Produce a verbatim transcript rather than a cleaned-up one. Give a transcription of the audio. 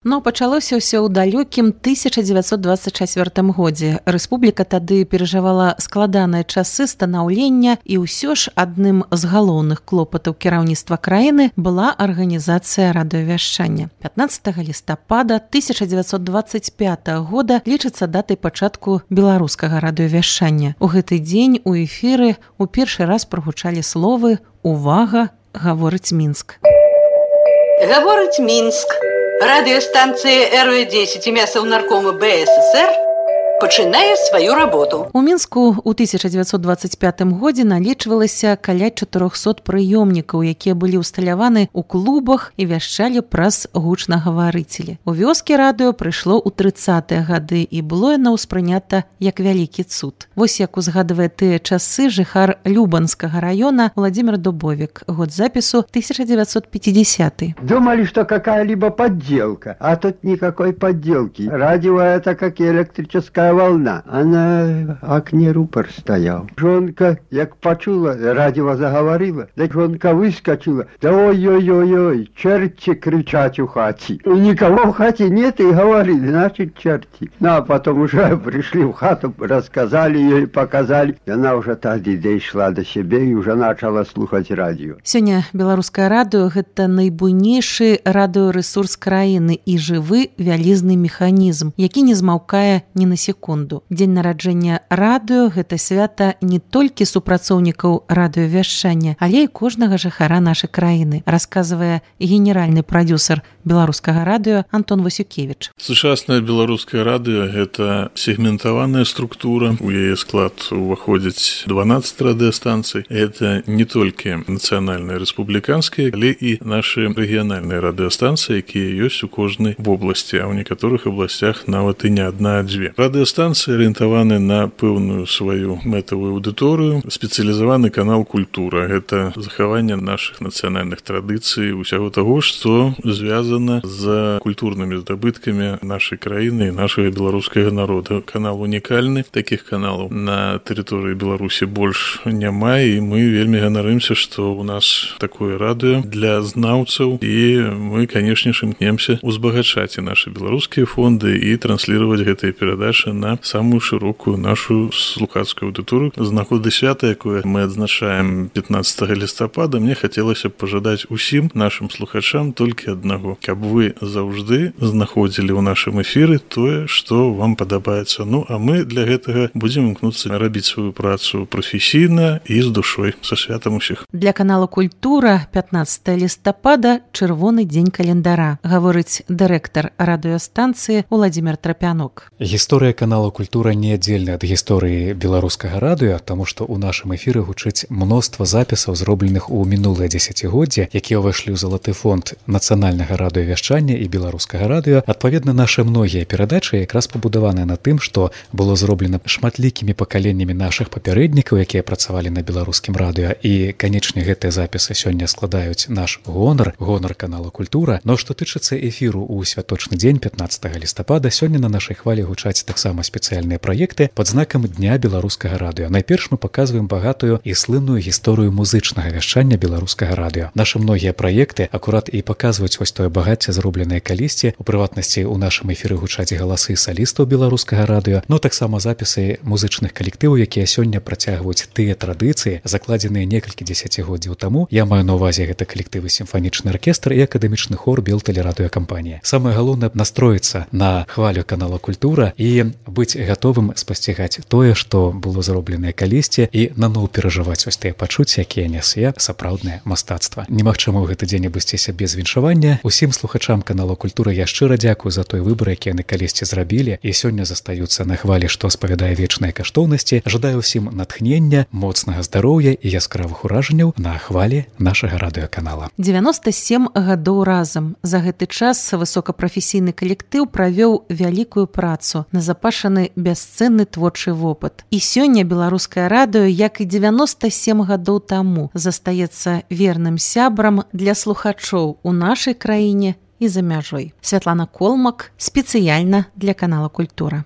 Но пачалося ўсё ў далёкім тысяча дзевяцьсот дваццаць чацвёртым годзе. Рэспубліка тады перажывала складаныя часы станаўлення, і ўсё ж адным з галоўных клопатаў кіраўніцтва краіны была арганізацыя радыёвяшчання. пятнаццатага лістапада тысяча дзевяцьсот дваццаць пятага года лічыцца датай пачатку беларускага радыёвяшчання. У гэты дзень у эфіры ў першы раз прагучалі словы «Увага! Гаворыць Мінск». Гаворыць Мінск. Радыёстанцыя эр вэ дзесяць імя Саўнаркома бэ эс эс эр пачынае сваю работу. У Мінску ў тысяча дзевяцьсот дваццаць пятым годзе налічвалася каля чатырохсот прыёмнікаў, якія былі ўсталяваны ў клубах і вяшчалі праз гучнагаварыцелі. У вёскі радыё прыйшло ў трыццатыя гады і было яно ўспрынята як вялікі цуд. Вось як узгадвае тыя часы жыхар Любанскага раёна Владимир Дубовик. Год запісу тысяча девятьсот пятидесятый. Думали, что какая-либо подделка, а тут никакой подделки. Радио это как электрическая волна, а на окне рупор стоял. Жонка, як почула, радио заговорила, да жонка выскочила, да ой-ой-ой-ой, черти кричать у хати. И никого в хате нет, и говорили, значит, черти. Ну, а потом уже пришли в хату, рассказали ей, показали. И она уже тогда дошла до себя и уже начала слухать радио. Сёння беларускае радыё – гэта найбуйнейшы радыёрэсурс краіны і жывы вялізны механізм, які не змаўкае ні на секунду. Дзень нараджэння радыё – гэта свята не толькі супрацоўнікаў радыёвяшчання, але і кожнага жыхара нашай краіны, расказвае генеральны прадюсер беларускага радыё Антон Васюкевіч. Сучаснае беларускае радыё – гэта сегментаваная структура. У яе склад уваходзіць дванаццаць радыёстанцый. Гэта не толькі нацыянальныя рэспубліканскія, але і нашы рэгіянальныя радыёстанцыі, якія ёсць у кожнай вобласці, а ў некаторых абласцях нават і не адна, а дзве. Радыёстанцыі арыентаваны на пэўную сваю мэтавую аўдыторыю. Спецыялізаваны канал «Культура» – гэта захаванне нашых нацыянальных традыцый, усяго таго, што звязана з культурнымі здабыткамі нашай краіны і нашага беларускага народа. Канал унікальны, такіх каналаў на тэрыторыі Беларусі больш няма, і мы вельмі ганарымся, што ў нас такое радыё для знаўцаў, і мы, канешне ж, імкнемся узбагачаць і нашы беларускія фонды і трансліраваць гэтыя перадачы на самую шырокую нашу слухацкую аўдыторыю. З нагоды свята, якое мы адзначаем пятнаццатага лістапада, мне хацелася б пажадаць усім нашым слухачам толькі аднаго, каб вы заўжды знаходзілі ў нашым эфіры тое, што вам падабаецца. Ну, а мы для гэтага будзем імкнуцца рабіць сваю працу прафесійна і з душой. Са святам усіх. Для канала «Культура» пятнаццатага лістапада – чырвоны дзень календара, гаворыць дырэктар радыёстанцыі Владимир Трапянок. Гісторыя канала «Культура» неаддзельная ад гісторыі беларускага радыё, таму што ў нашым эфіры гучыць мноства запісаў, зробленых у мінулыя дзесяцігоддзі, якія ўвайшлі ў залаты фонд нацыянальнага радыёвяшчання і беларускага радыё. Адпаведна, нашы многія перадачы якраз пабудаваныя на тым, што было зроблена шматлікімі пакаленнямі нашых папярэднікаў, якія працавалі на беларускім радыё. І, канечне, гэтыя запісы сёння складаюць наш гонар, гонар канала «Культура». Но што тычыцца эфіру ў святочны дзень пятнаццатага лістапада, сёння на нашай хвалі гучаць таксама спецыяльныя праекты пад знакам Дня беларускага радыё. Найперш мы паказваем багатую і слынную гісторыю музычнага вяшчання беларускага радыё. Нашы многія праекты акурат і паказваюць вось тое багацце, зробленае калісьці. У прыватнасці, у нашым эфіры гучаць галасы салістаў беларускага радыё, но таксама запісы музычных калектываў, якія сёння працягваюць тыя традыцыі, закладзеныя некалькі дзесяцігоддзяў таму. Я маю на ўвазе гэта калектывы сімфанічны аркестр і акадэмічны хор Белтэлерадыёкампанія. Самае галоўнае настроіцца на хвалю канала «Культура» і быць гатовым спасцігаць тое, што было зробленае калісьці, і наноў перажываць вось тыя пачуцці, якія нясе сапраўднае мастацтва. Немагчыма ў гэты дзень абысціся без віншавання. Усім слухачам канала «Культура» я шчыра дзякую за той выбар, які яны калісьці зрабілі і сёння застаюцца на хвалі, што спавядае вечныя каштоўнасці. Жадаю ўсім натхнення, моцнага здароўя і яскравых уражанняў на хвалі нашага радыёканала. дзевяноста сем гадоў разам. За гэты час высокапрафесійны калектыў правёў вялікую працу, назапашаны бясцэнны творчы вопыт. І сёння беларускае радыё, як і дзевяноста сем гадоў таму, застаецца верным сябрам для слухачоў у нашай краіне і за мяжой. Святлана Колмак спецыяльна для канала «Культура».